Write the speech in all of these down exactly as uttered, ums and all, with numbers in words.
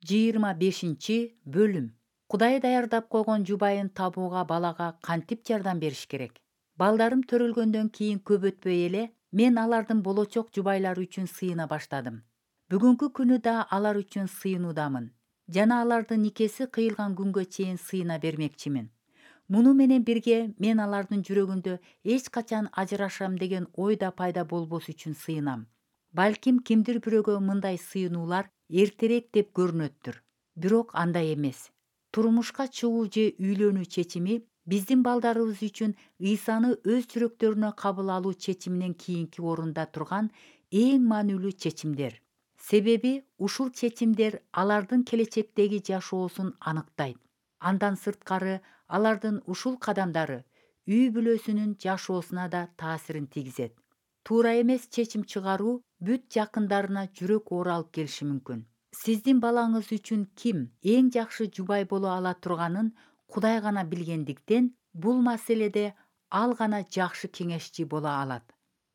жыйырма бешинчи бөлүм. Кудай даярдап койгон жубайын табууга балага кантип жардам бериш керек? Балдарым төрөлгөндөн кийин көп өтпөй эле мен алардын болочок жубайлары үчүн сыйына баштадым. Бүгүнкү күнү да алар үчүн сыйынуудамын жана алардын никеси кыйылган күнгө чейин сыйына бермекчимин. Муну менен бирге мен алардын жүрөгүндө эч качан ажырашам деген ой да пайда болбос үчүн сыйынам. Балким кимдир бирөөгө мындай сыйынуулар эртерээк деп көрүнөттүр. Бирок андай эмес. Турмушка чыгуу же үйлөнүү чечими биздин балдарыбыз үчүн Ыйсаны өз жүрөктөрүнө кабыл алуу чечиминен кийинки орунда турган эң маанилүү чечимдер. Себеби ушул чечимдер алардын келечектеги жашоосун аныктайт. Андан сырткары алардын ушул кадамдары үй бүлөсүнүн жашоосуна да таасирин тийгизет. Туура эмес чечим чыгаруу бүт жакындарына жүрөк оор алып келиши мүмкүн. Сиздин балаңыз үчүн ким эң жакшы жубай боло ала турганын Кудай гана билгендиктен, бул маселеде ал гана жакшы кеңешчи боло алат.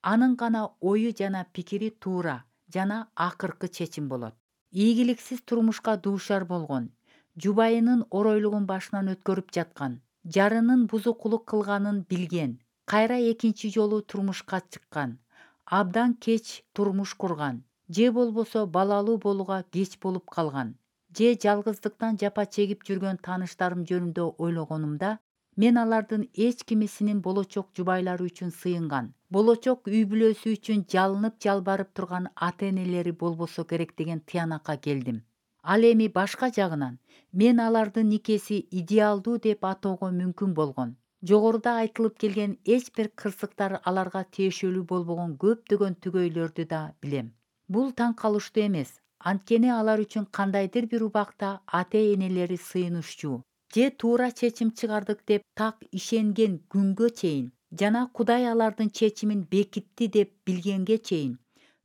Анын гана ою жана пикири туура жана акыркы чечим болот. Ийгиликсиз турмушка дуушар болгон, жубайынын оройлугун башынан өткөрүп жаткан, жарынын бузукулук кылганын билген, кайра экинчи жолу турмушка чыккан, абдан кеч турмуш курган, же болбосо балалуу болууга кеч болуп калган, же жалгыздыктан жапа чегип жүргөн тааныштарым жөнүндө ойлогонумда, мен алардын эч кимисинин болочок жубайлары үчүн сыйынган, болочок үй бүлөсү үчүн жалынып жалбарып турган ата-энелери болбосо керек деген тыянакка келдим. Ал эми башка жагынан мен алардын никеси идеалдуу деп атоого мүмкүн болгон, жогоруда айтылып келген эч бир кырсыктар аларга тиешелүү болбогон көптөгөн түгөйлөрдү да билем. Бул таң калыштуу эмес, анткени алар үчүн кандайдыр бир убакта ата-энелери сыйынышчу же туура чечим чыгардык деп так ишенген күнгө чейин жана Кудай алардын чечимин бекитти деп билгенге чейин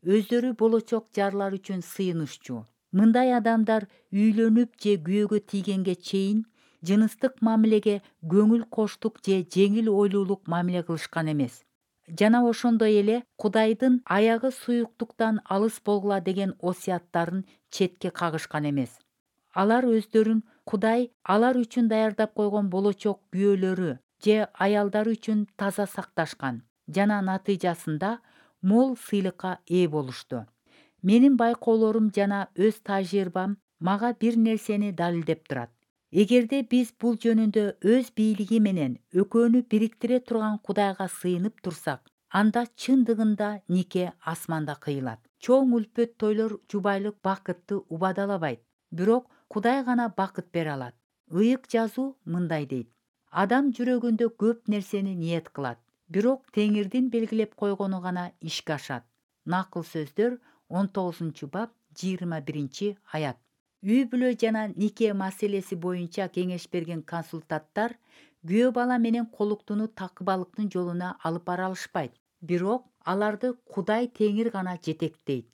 өздөрү болочок жарлар үчүн сыйынышчу. Мындай адамдар үйлөнүп же күйөөгө тийгенге чейин жыныстык мамилеге көңүл коштук же жеңил ойлуулук мамиле кылышкан эмес. Жана ошондой эле Кудайдын аягы суюктуктан алыс болгула деген осуяттарын четке кагышкан эмес. Алар өздөрүн Кудай алар үчүн даярдап койгон болочок күйөөлөрү же аялдары үчүн таза сакташкан жана натыйжасында мол сыйлыкка ээ болушту. Менин байкоолорум жана өз тажрыйбам мага бир нерсени далилдеп турат. Эгерде биз бул жөнүндө өз бийлиги менен экөөнү бириктире турган Кудайга сыйынып турсак, анда чындыгында нике асманда кыйылат. Чоң үлпөт тойлор жубайлык бакытты убадалабайт, бирок Кудай гана бакыт бере алат. Ыйык жазуу мындай дейт: адам жүрөгүндө көп нерсени ниет кылат, бирок Теңирдин белгилеп койгону гана ишке ашат. Накыл сөздөр он тогузунчу бап жыйырма биринчи аят. Үй бүлө жана нике маселеси боюнча кеңеш берген консультанттар күйөө бала менен колуктуну такыбалыктын жолуна алып бара алышпайт, бирок аларды Кудай Теңир гана жетектейт.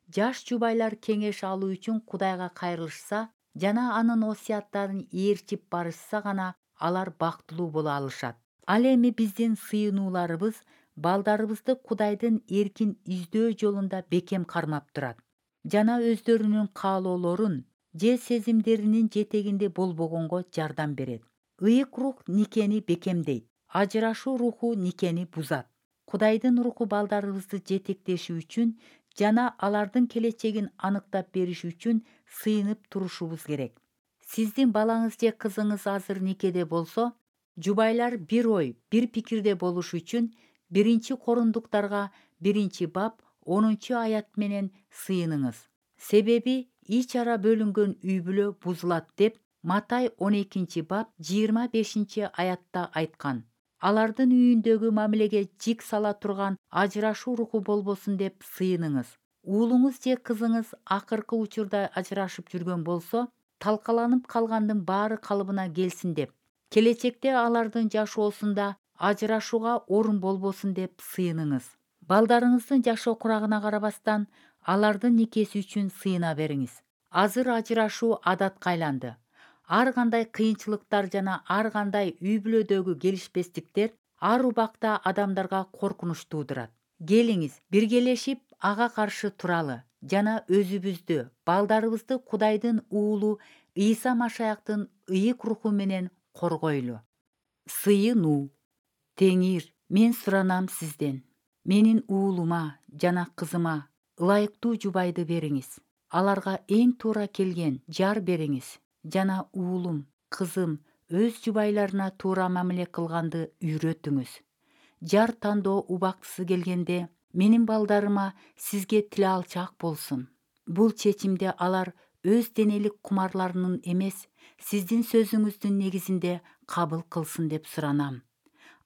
Жаш жубайлар кеңеш алуу үчүн Кудайга кайрылышса жана анын осуяттарын ээрчип барышса гана алар бактылуу боло алышат. Ал эми биздин сыйынууларыбыз балдарыбызды Кудайдын эркин издөө жолунда бекем кармап турат жана өздөрүнүн каалоолорун же сезимдеринин жетегинде болбогонго жардам берет. Ыйык рух никени бекемдейт, ажырашуу руху никени бузат. Кудайдын руху балдарыбызды жетектеши үчүн жана алардын келечегин аныктап бериши үчүн сыйынып турушубуз керек. Сиздин балаңыз же кызыңыз азыр никеде болсо, жубайлар бир ой, бир пикирде болуш үчүн биринчи Корундуктарга биринчи бап онунчу аят менен сыйыныңыз. Себеби ич ара бөлүнгөн үй бүлө бузулат деп Матай он экинчи бап жыйырма бешинчи аятта айткан. Алардын үйүндөгү мамилеге жик сала турган ажырашуу руху болбосун деп сыйыныңыз. Уулуңуз же кызыңыз акыркы учурда ажырашып жүргөн болсо, талкаланып калгандын баары калыбына келсин деп, келечекте алардын жашоосунда ажырашууга орун болбосун деп сыйыныңыз. Балдарыңыздын жашоо курагына карабастан, алардын никеси үчүн сыйына бериңиз. Азыр ажырашуу адатка айланды. Ар кандай кыйынчылыктар жана ар кандай үй бүлөдөгү келишпестиктер ар убакта адамдарга коркунуч туудурат. Келиңиз, биргелешип ага каршы туралы жана өзүбүздү, балдарыбызды Кудайдын уулу Ыйса Машаяктын ыйык руху менен коргойлу. Сыйынуу. Теңир, мен суранам сизден, менин уулума жана кызыма ылайыктуу жубайды бериңиз. Аларга эң туура келген жар бериңиз жана уулум, кызым өз жубайларына туура мамиле кылганды үйрөтүңүз. Жар тандоо убактысы келгенде менин балдарыма сизге тил алчак болсун. Бул чечимди алар өз денелик кумарларынын эмес, сиздин сөзүңүздүн негизинде кабыл кылсын деп суранам.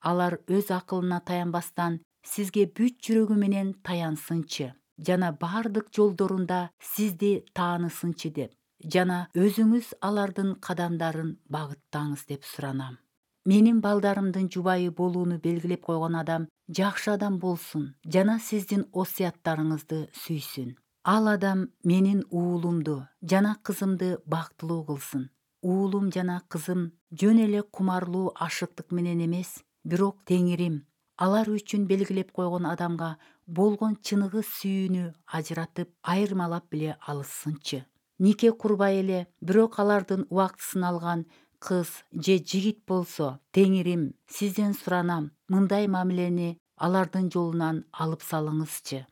Алар өз акылына таянбастан сизге бүт жүрөгү менен таянсынчы жана бардык жолдорунда сизди таанысынчы деп, жана өзүңүз алардын кадамдарын багыттаңыз деп суранам. Менин балдарымдын жубайы болууну белгилеп койгон адам жакшы адам болсун жана сиздин осуяттарыңызды сүйсүн. Ал адам менин уулумду жана кызымды бактылуу кылсын. Уулум жана кызым жөн эле кумарлуу ашыктык менен эмес, бирок Теңирим алар үчүн белгилеп койгон адамга болгон чыныгы сүйүүнү ажыратып, айырмалап биле алышсынчы. Нике курбай эле, бирок алардын убактысын алган кыз же жигит болсо, Теңирим сизден суранам, мындай мамилени алардын жолунан алып салыңызчы.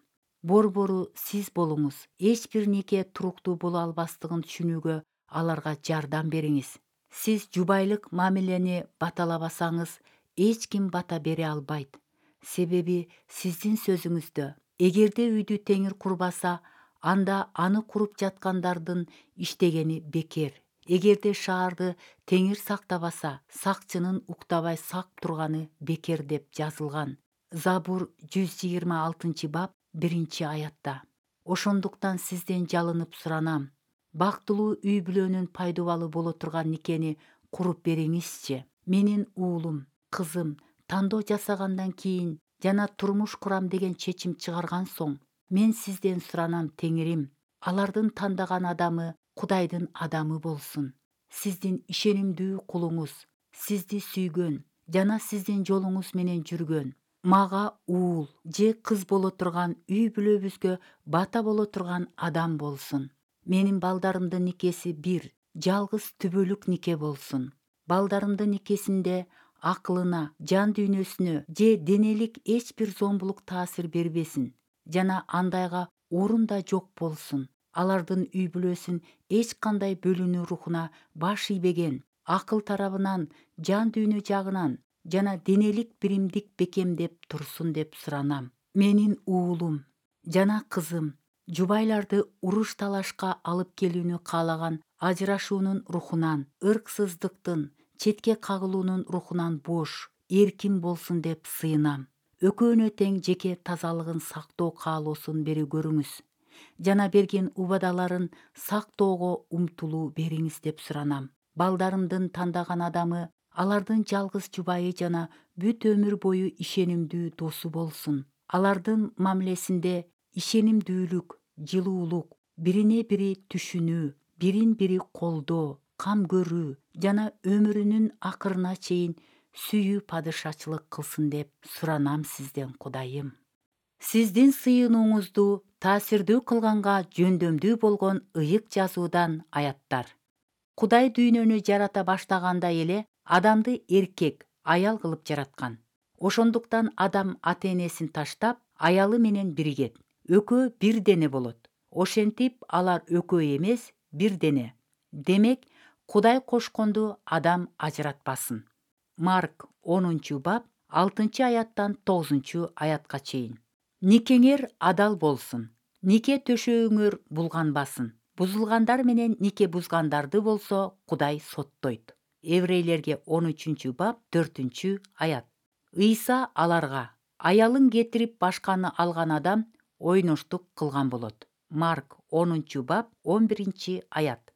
Борбору сиз болуңуз. Эч бир нике туруктуу боло албастыгын түшүнүүгө аларга жардам бериңиз. Сиз жубайлык мамилени баталабасаңыз, эч ким бата бере албайт. Себеби сиздин сөзүңүздө, эгерде үйдү теңир курбаса, анда аны куруп жаткандардын иштегени бекер. Эгерде шаарды теңир сактабаса, сакчынын уктабай сак турганы бекер деп жазылган. Забур жүз жыйырма алтынчы бап биринчи аятта. Ошондуктан сизден жалынып суранам, бактылуу үй бүлөнүн пайдубалы боло турган никени куруп бериңизчи. Менин уулум, кызым тандоо жасагандан кийин жана турмуш курам деген чечим чыгарган соң, мен сизден суранам, Теңирим, алардын тандаган адамы Кудайдын адамы болсун. Сиздин ишенимдүү кулуңуз, сизди сүйгөн жана сиздин жолуңуз менен жүргөн, мага уул же кыз боло турган, үй бүлөбүзгө бата боло турган адам болсун. Менин балдарымдын никеси бир, жалгыз түбөлүк нике болсун. Балдарымдын никесинде акылына, жан дүйнөсүнө же денелик эч бир зомбулук таасир бербесин жана андайга орун да жок болсун. Алардын үй бүлөсүн эч кандай бөлүнүү рухуна баш ийбеген, акыл тарабынан, жан дүйнө жагынан жана денелик биримдик бекемдеп турсун деп суранам. Менин уулум жана кызым жубайларды уруш талашка алып келүүнү каалаган ажырашуунун рухунан, ырксыздыктын, четке кагылуунун рухунан бош, эркин болсун деп сыйынам. Экөөнө тең жеке тазалыгын сактоо каалоосун бере көрүңүз жана берген убадаларын сактоого умтулуу бериңиз деп суранам. Балдарымдын тандаган адамы алардын жалгыз жубайы жана бүт өмүр бою ишенимдүү досу болсун. Алардын мамилесинде ишенимдүүлүк, жылуулук, бирине бири түшүнүү, бирин бири колдоо, кам көрүү жана өмүрүнүн акырына чейин сүйүү падышачылык кылсын деп суранам сизден, Кудайым. Сиздин сыйынууңузду таасирдүү кылганга жөндөмдүү болгон ыйык жазуудан аяттар. Кудай дүйнөнү жарата баштаганда эле адамды эркек, аял кылып жараткан. Ошондуктан адам ата-энесин таштап, аялы менен биригет. Экөө бир дене болот. Ошентип алар экөө эмес, бир дене. Демек, Кудай кошконду адам ажыратпасын. Марк онунчу бап алтынчы аяттан тогузунчу аятка чейин. Никеңер адал болсун. Нике төшөөңөр булганбасын. Бузулгандар менен нике бузгандарды болсо Кудай соттойт. Еврейлерге он үчүнчү бап төртүнчү аят. Ыйса аларга: аялын кетирип башканы алган адам ойноштук кылган болот. Марк онунчу бап он биринчи аят.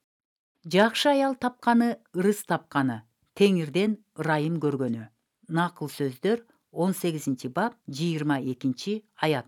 Жакшы аял тапканы ырыс тапканы, Теңирден ырайым көргөнү. Накыл сөздөр он сегизинчи бап жыйырма экинчи аят.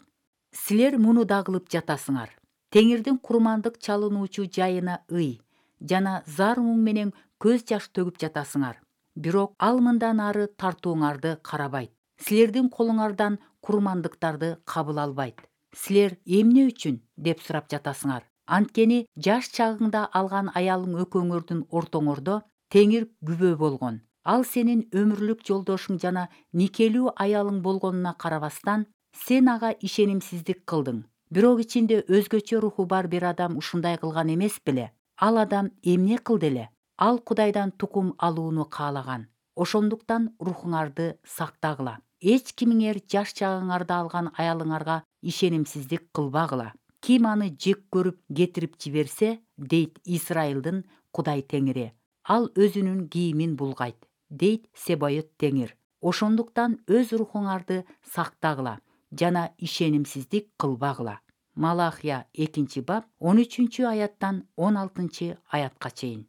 Силер муну да кылып жатасыңар. Теңирдин курмандык чалынуучу жайына ый жана зар муң менен көз жаш төгүп жатасыңар. Бирок ал мындан ары тартууңарды карабайт. Силердин колуңардан курмандыктарды кабыл албайт. Силер эмне үчүн деп сурап жатасыңар? Анткени жаш чагыңда алган аялың экөөңөрдүн ортоңордо теңир күбө болгон. Ал сенин өмүрлүк жолдошуң жана никелүү аялың болгонуна карабастан, сен ага ишенимсиздик кылдың. Бирок ичинде өзгөчө руху бар бир адам ушундай кылган эмес беле? Ал адам эмне кылды эле? Ал Кудайдан тукум алууну каалаган. Ошондуктан рухуңарды сактагыла. Эч кимиңер жаш чагыңарда алган аялыңарга ишенимсиздик кылбагыла. Ким аны жек көрүп кетирип жиберсе, дейт Израилдин Кудай Теңири, ал өзүнүн кийимин булгайт, дейт Себайот Теңир. Ошондуктан өз рухуңарды сактагыла жана ишенимсиздик кылбагыла. Малахия экинчи бап он үчүнчү аяттан он алтынчы аятка чейин.